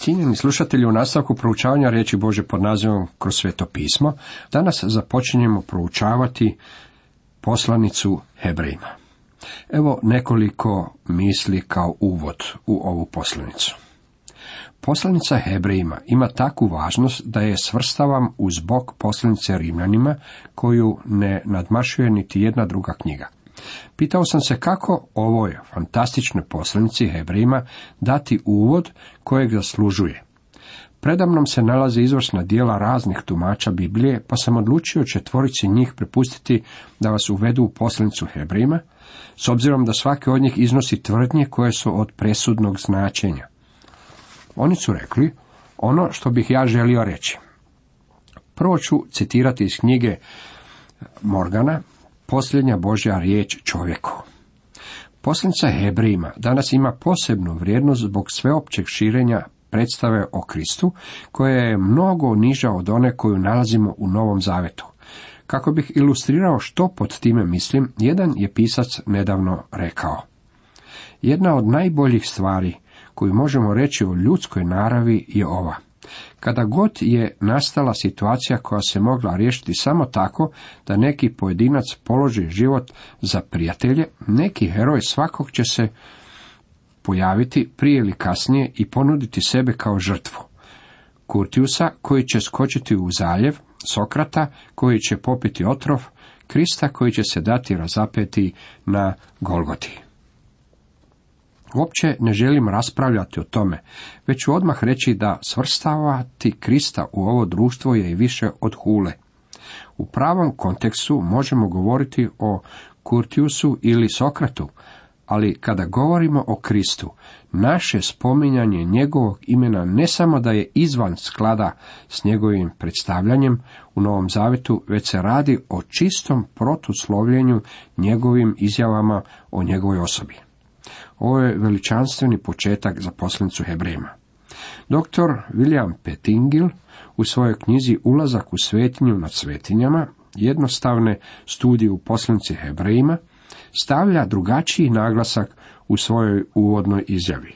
Cijenjeni slušatelji, u nastavku proučavanja riječi Božje pod nazivom Kroz Sveto pismo, danas započinjemo proučavati poslanicu Hebrejima. Evo nekoliko misli kao uvod u ovu poslanicu. Poslanica Hebrejima ima takvu važnost da je svrstavam uz bok poslanice Rimljanima, koju ne nadmašuje niti jedna druga knjiga. Pitao sam se kako ovoj fantastičnoj poslanici Hebrejima dati uvod kojeg zaslužuje. Predamnom se nalaze izvrsna djela raznih tumača Biblije, pa sam odlučio 4 njih prepustiti da vas uvedu u poslanicu Hebrejima, s obzirom da svaki od njih iznosi tvrdnje koje su od presudnog značenja. Oni su rekli ono što bih ja želio reći. Prvo ću citirati iz knjige Morgana, Posljednja Božja riječ čovjeku. Poslanica Hebrejima danas ima posebnu vrijednost zbog sveopćeg širenja predstave o Kristu, koja je mnogo niža od one koju nalazimo u Novom Zavetu. Kako bih ilustrirao što pod time mislim, jedan je pisac nedavno rekao: jedna od najboljih stvari koju možemo reći o ljudskoj naravi je ova. Kada god je nastala situacija koja se mogla riješiti samo tako da neki pojedinac položi život za prijatelje, neki heroj svakog će se pojaviti prije ili kasnije i ponuditi sebe kao žrtvu. Kurtiusa koji će skočiti u zaljev, Sokrata koji će popiti otrov, Krista koji će se dati razapeti na Golgoti. Uopće ne želim raspravljati o tome, već ću odmah reći da svrstavati Krista u ovo društvo je i više od hule. U pravom kontekstu možemo govoriti o Kurtiusu ili Sokratu, ali kada govorimo o Kristu, naše spominjanje njegovog imena ne samo da je izvan sklada s njegovim predstavljanjem u Novom Zavetu, već se radi o čistom protuslovljenju njegovim izjavama o njegovoj osobi. Ovo je veličanstveni početak za poslanicu Hebrejima. Dr. William Pettingill u svojoj knjizi Ulazak u svetinju nad svetinjama, jednostavne studije u poslanici Hebrejima, stavlja drugačiji naglasak u svojoj uvodnoj izjavi.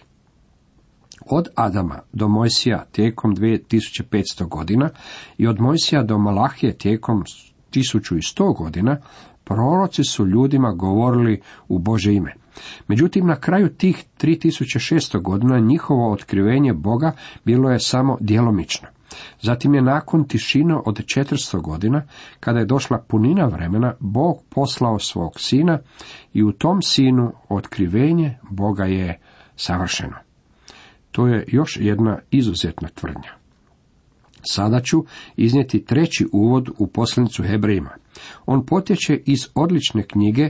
Od Adama do Mojsija tijekom 2500 godina i od Mojsija do Malahije tijekom 1100 godina proroci su ljudima govorili u Božje ime. Međutim, na kraju tih 3600 godina njihovo otkrivenje Boga bilo je samo djelomično. Zatim je nakon tišine od 400 godina, kada je došla punina vremena, Bog poslao svog sina i u tom sinu otkrivenje Boga je savršeno. To je još jedna izuzetna tvrdnja. Sada ću iznijeti 3. uvod u poslanicu Hebrejima. On potječe iz odlične knjige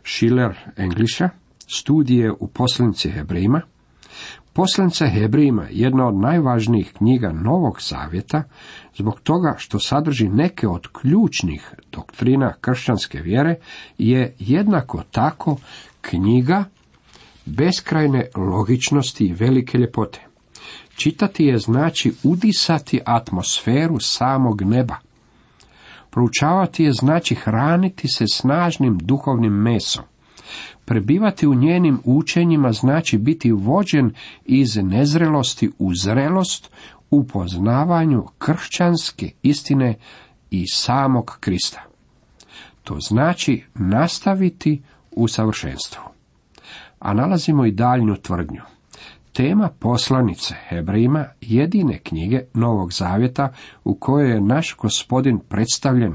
Schiller Englisha, studije u poslanici Hebrejima. Poslanica Hebrejima, jedna od najvažnijih knjiga Novog Zavjeta, zbog toga što sadrži neke od ključnih doktrina kršćanske vjere, je jednako tako knjiga beskrajne logičnosti i velike ljepote. Čitati je znači udisati atmosferu samog neba. Proučavati je znači hraniti se snažnim duhovnim mesom. Prebivati u njenim učenjima znači biti vođen iz nezrelosti u zrelost u poznavanju kršćanske istine i samog Krista. To znači nastaviti u savršenstvu. A nalazimo i daljnju tvrdnju. Tema poslanice Hebrejima, jedine knjige Novog Zavjeta u kojoj je naš Gospodin predstavljen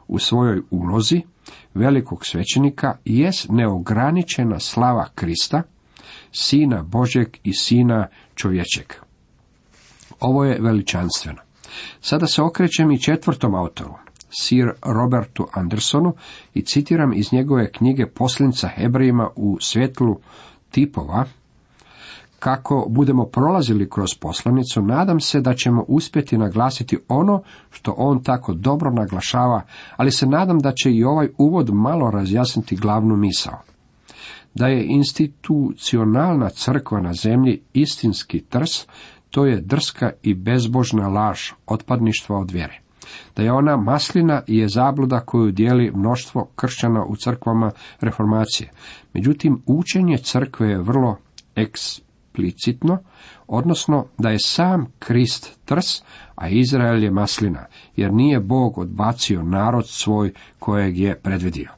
u svojoj ulozi velikog svećenika, jest neograničena slava Krista, Sina Božjeg i Sina čovječeg. Ovo je veličanstveno. Sada se okrećem i 4. autoru, Sir Robertu Andersonu, i citiram iz njegove knjige Poslanica Hebrejima u svjetlu tipova. Kako budemo prolazili kroz poslanicu, nadam se da ćemo uspjeti naglasiti ono što on tako dobro naglašava, ali se nadam da će i ovaj uvod malo razjasniti glavnu misao. Da je institucionalna crkva na zemlji istinski trs, to je drska i bezbožna laž otpadništva od vjere. Da je ona maslina je zabluda koju dijeli mnoštvo kršćana u crkvama reformacije. Međutim, učenje crkve je vrlo eksplicitno, odnosno da je sam Krist trs, a Izrael je maslina, jer nije Bog odbacio narod svoj kojeg je predvidio.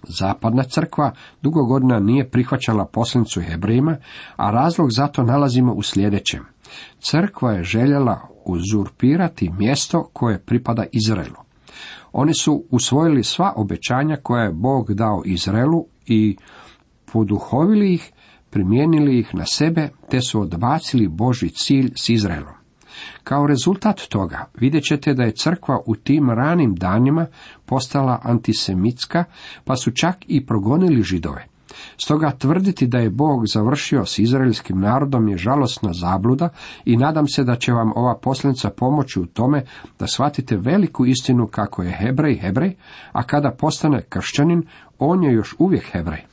Zapadna crkva dugo godina nije prihvaćala poslanicu Hebrejima, a razlog za to nalazimo u sljedećem. Crkva je željela uzurpirati mjesto koje pripada Izraelu. Oni su usvojili sva obećanja koja je Bog dao Izraelu i poduhovili ih, primijenili ih na sebe, te su odbacili Božji cilj s Izraelom. Kao rezultat toga vidjet ćete da je crkva u tim ranim danima postala antisemitska, pa su čak i progonili Židove. Stoga tvrditi da je Bog završio s izraelskim narodom je žalosna zabluda i nadam se da će vam ova poslanica pomoći u tome da shvatite veliku istinu kako je Hebrej, a kada postane kršćanin, on je još uvijek Hebrej.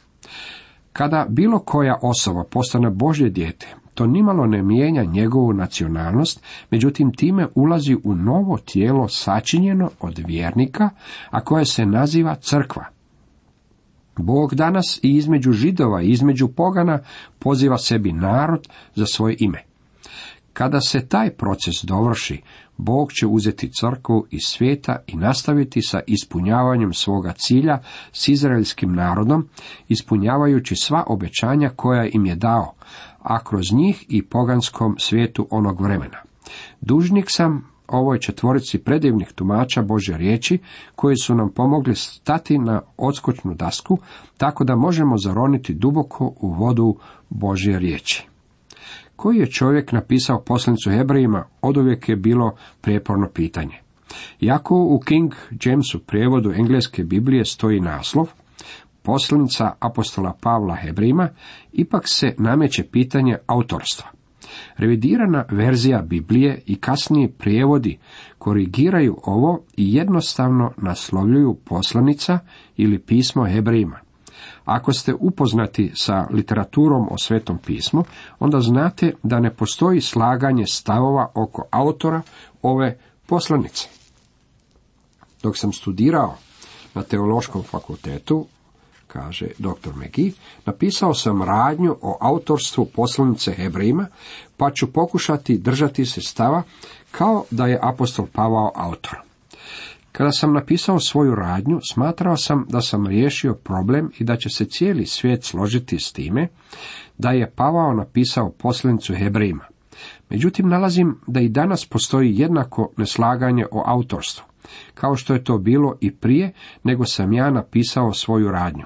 Kada bilo koja osoba postane Božje dijete, to nimalo ne mijenja njegovu nacionalnost, međutim time ulazi u novo tijelo sačinjeno od vjernika, a koje se naziva crkva. Bog danas i između Židova i između pogana poziva sebi narod za svoje ime. Kada se taj proces dovrši, Bog će uzeti crkvu iz svijeta i nastaviti sa ispunjavanjem svoga cilja s izraelskim narodom, ispunjavajući sva obećanja koja im je dao, a kroz njih i poganskom svijetu onog vremena. Dužnik sam ovoj četvorici predivnih tumača Božje riječi, koji su nam pomogli stati na odskočnu dasku, tako da možemo zaroniti duboko u vodu Božje riječi. Koji je čovjek napisao poslanicu Hebrejima, oduvijek je bilo prijeporno pitanje. Iako u King Jamesu prijevodu engleske Biblije stoji naslov Poslanica apostola Pavla Hebrejima, ipak se nameće pitanje autorstva. Revidirana verzija Biblije i kasniji prijevodi korigiraju ovo i jednostavno naslovljuju poslanica ili pismo Hebrejima. Ako ste upoznati sa literaturom o Svetom pismu, onda znate da ne postoji slaganje stavova oko autora ove poslanice. Dok sam studirao na Teološkom fakultetu, kaže dr. McGee, napisao sam radnju o autorstvu poslanice Hebrejima, pa ću pokušati držati se stava kao da je apostol Pavao autor. Kada sam napisao svoju radnju, smatrao sam da sam riješio problem i da će se cijeli svijet složiti s time da je Pavao napisao poslanicu Hebrejima. Međutim, nalazim da i danas postoji jednako neslaganje o autorstvu, kao što je to bilo i prije nego sam ja napisao svoju radnju.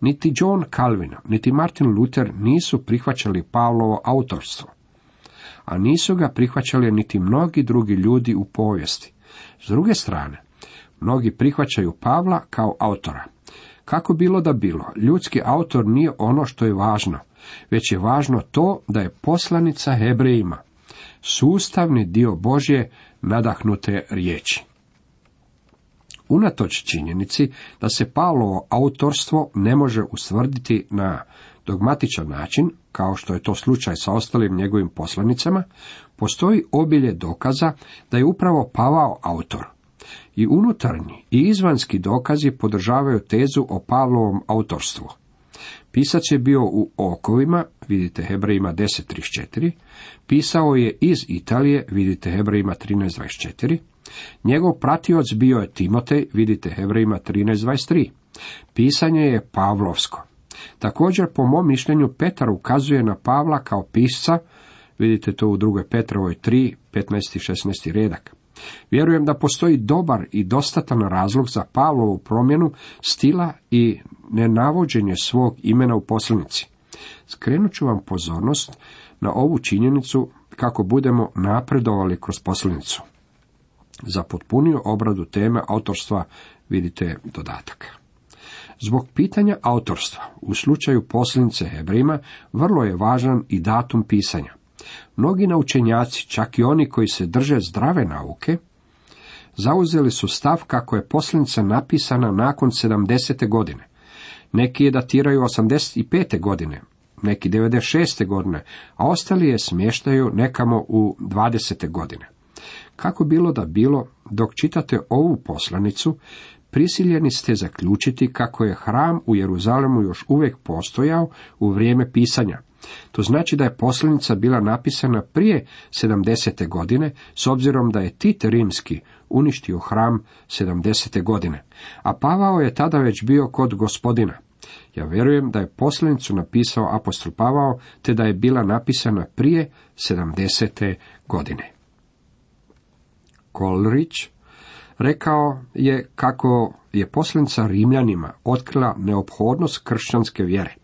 Niti John Calvin, niti Martin Luther nisu prihvaćali Pavlovo autorstvo, a nisu ga prihvaćali niti mnogi drugi ljudi u povijesti. S druge strane, mnogi prihvaćaju Pavla kao autora. Kako bilo da bilo, ljudski autor nije ono što je važno, već je važno to da je poslanica Hebrejima sustavni dio Božje nadahnute riječi. Unatoč činjenici da se Pavlovo autorstvo ne može ustvrditi na dogmatičan način, kao što je to slučaj sa ostalim njegovim poslanicama, postoji obilje dokaza da je upravo Pavao autor. I unutarnji i izvanjski dokazi podržavaju tezu o Pavlovom autorstvu. Pisac je bio u okovima, vidite Hebrejima 10.34, pisao je iz Italije, vidite Hebrejima 13.24, njegov pratioc bio je Timotej, vidite Hebrejima 13.23. Pisanje je pavlovsko. Također, po mom mišljenju, Petar ukazuje na Pavla kao pisca, vidite to u 2. Petrovoj 3, 15. i 16. redak. Vjerujem da postoji dobar i dostatan razlog za Pavlovu promjenu stila i nenavođenje svog imena u poslanici. Skrenut ću vam pozornost na ovu činjenicu kako budemo napredovali kroz poslanicu. Za potpuniju obradu teme autorstva vidite dodatak. Zbog pitanja autorstva u slučaju poslanice Hebrejima vrlo je važan i datum pisanja. Mnogi naučenjaci, čak i oni koji se drže zdrave nauke, zauzeli su stav kako je poslanica napisana nakon 70. godine. Neki je datiraju 85. godine, neki 96. godine, a ostali je smještaju nekamo u 20. godine. Kako bilo da bilo, dok čitate ovu poslanicu, prisiljeni ste zaključiti kako je hram u Jeruzalemu još uvijek postojao u vrijeme pisanja, To znači da je poslanica bila napisana prije 70. godine, s obzirom da je Tit Rimski uništio hram 70. godine, a Pavao je tada već bio kod Gospodina. Ja vjerujem da je poslanicu napisao apostol Pavao, te da je bila napisana prije 70. godine. Coleridge rekao je kako je poslanica Rimljanima otkrila neophodnost kršćanske vjere,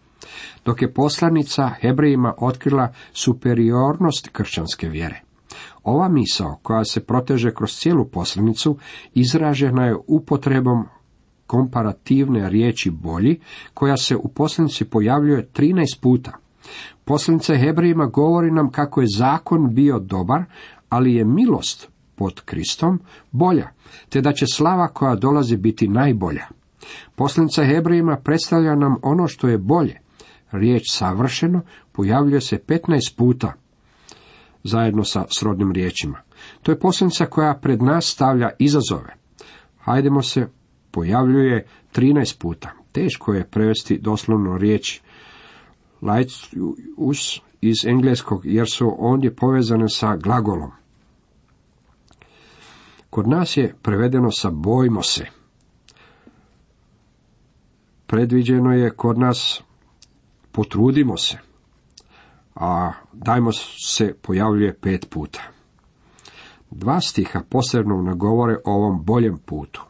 dok je poslanica Hebrejima otkrila superiornost kršćanske vjere. Ova misao, koja se proteže kroz cijelu poslanicu, izražena je upotrebom komparativne riječi bolji, koja se u poslanici pojavljuje 13 puta. Poslanica Hebrejima govori nam kako je zakon bio dobar, ali je milost pod Kristom bolja, te da će slava koja dolazi biti najbolja. Poslanica Hebrejima predstavlja nam ono što je bolje. Riječ savršeno pojavljuje se 15 puta, zajedno sa srodnim riječima. To je poslanica koja pred nas stavlja izazove. Hajdemo se pojavljuje 13 puta. Teško je prevesti doslovno riječ laetius iz engleskog, jer su ondje povezane sa glagolom. Kod nas je prevedeno sa bojmo se. Predviđeno je kod nas potrudimo se, a dajmo se pojavljuje 5 puta. 2 stiha posebno nagovore o ovom boljem putu.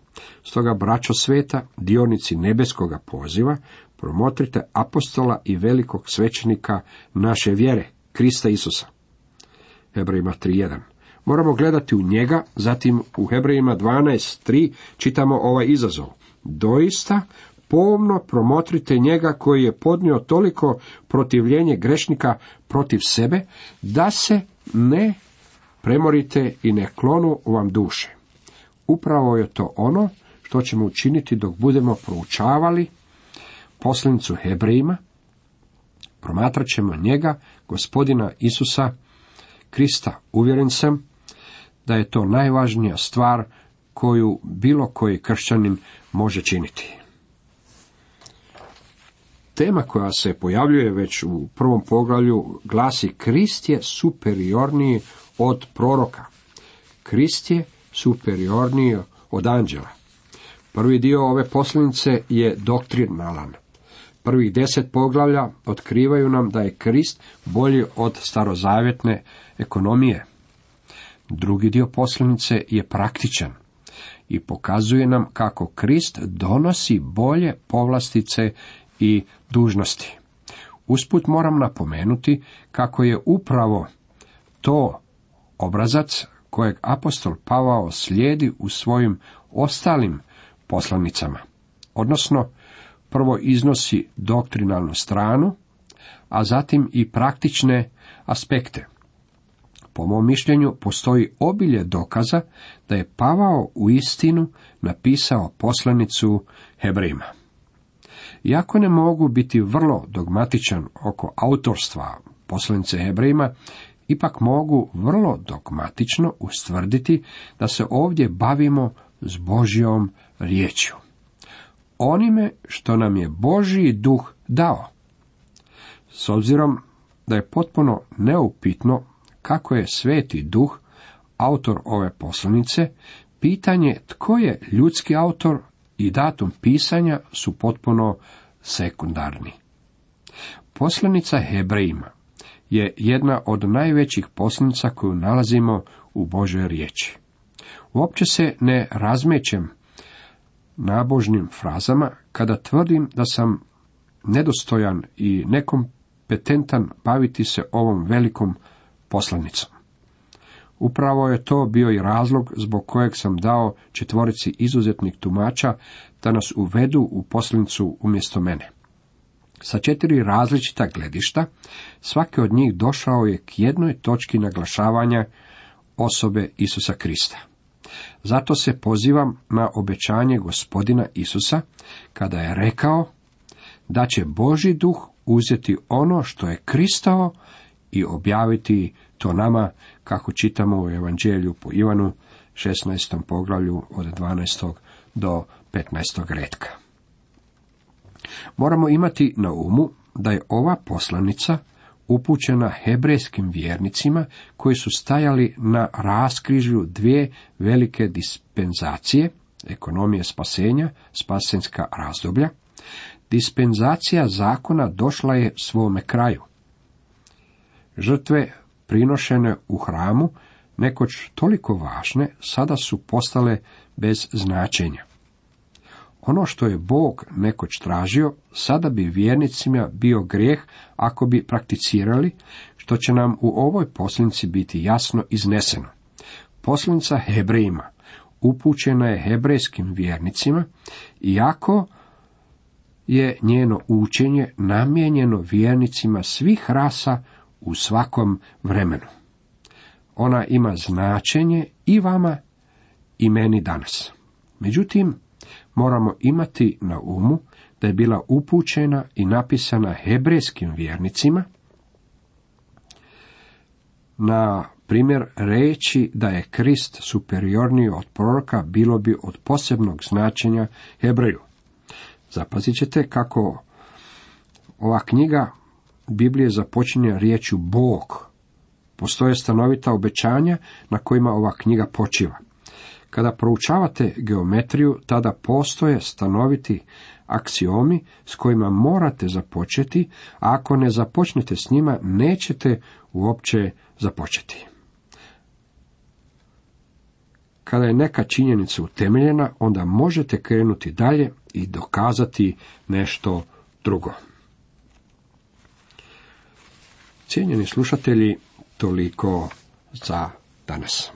Stoga, braćo sveta, dionici nebeskoga poziva, promotrite apostola i velikog svećenika naše vjere, Krista Isusa. Hebrejima 3.1. Moramo gledati u njega, zatim u Hebrejima 12.3 čitamo ovaj izazov. Doista, pomno promotrite njega koji je podnio toliko protivljenje grešnika protiv sebe, da se ne premorite i ne klonu vam duše. Upravo je to ono što ćemo učiniti dok budemo proučavali poslanicu Hebrejima. Promatrat ćemo njega, Gospodina Isusa Krista. Uvjeren sam da je to najvažnija stvar koju bilo koji kršćanin može činiti. Tema koja se pojavljuje već u prvom poglavlju glasi: Krist je superiorniji od proroka. Krist je superiorniji od anđela. Prvi dio ove poslanice je doktrinalan. Prvih 10 poglavlja otkrivaju nam da je Krist bolji od starozavjetne ekonomije. Drugi dio poslanice je praktičan i pokazuje nam kako Krist donosi bolje povlastice i dužnosti. Usput moram napomenuti kako je upravo to obrazac kojeg apostol Pavao slijedi u svojim ostalim poslanicama. Odnosno, prvo iznosi doktrinalnu stranu, a zatim i praktične aspekte. Po mom mišljenju postoji obilje dokaza da je Pavao uistinu napisao poslanicu Hebrejima. Iako ne mogu biti vrlo dogmatičan oko autorstva poslanice Hebrejima, ipak mogu vrlo dogmatično ustvrditi da se ovdje bavimo s Božjom riječju. Onime što nam je Božji duh dao. S obzirom da je potpuno neupitno kako je Sveti Duh autor ove poslanice, pitanje tko je ljudski autor i datum pisanja su potpuno sekundarni. Poslanica Hebrejima je jedna od najvećih poslanica koju nalazimo u Božoj riječi. Uopće se ne razmećem nabožnim frazama kada tvrdim da sam nedostojan i nekompetentan baviti se ovom velikom poslanicom. Upravo je to bio i razlog zbog kojeg sam dao 4 izuzetnih tumača da nas uvedu u poslanicu umjesto mene. Sa 4 različita gledišta, svaki od njih došao je k jednoj točki naglašavanja osobe Isusa Krista. Zato se pozivam na obećanje Gospodina Isusa, kada je rekao da će Božji duh uzeti ono što je Kristovo i objaviti to nama, kako čitamo u Evanđelju po Ivanu, 16. poglavlju od 12. do 15. retka. Moramo imati na umu da je ova poslanica upućena hebrejskim vjernicima koji su stajali na raskrižju dvije velike dispenzacije, ekonomije spasenja, spasenska razdoblja. Dispenzacija zakona došla je svome kraju. Žrtve prinošene u hramu, nekoć toliko važne, sada su postale bez značenja. Ono što je Bog nekoć tražio, sada bi vjernicima bio grijeh ako bi prakticirali, što će nam u ovoj poslanici biti jasno izneseno. Poslanica Hebrejima upućena je hebrejskim vjernicima, iako je njeno učenje namijenjeno vjernicima svih rasa u svakom vremenu. Ona ima značenje i vama i meni danas. Međutim, moramo imati na umu da je bila upućena i napisana hebrejskim vjernicima. Na primjer, reći da je Krist superiorniji od proroka bilo bi od posebnog značenja Hebreju. Zapazit ćete kako ova knjiga Biblije započinje riječju Bog. Postoje stanovita obećanja na kojima ova knjiga počiva. Kada proučavate geometriju, tada postoje stanoviti aksiomi s kojima morate započeti, a ako ne započnete s njima, nećete uopće započeti. Kada je neka činjenica utemeljena, onda možete krenuti dalje i dokazati nešto drugo. Cijenjeni slušatelji, toliko za danas.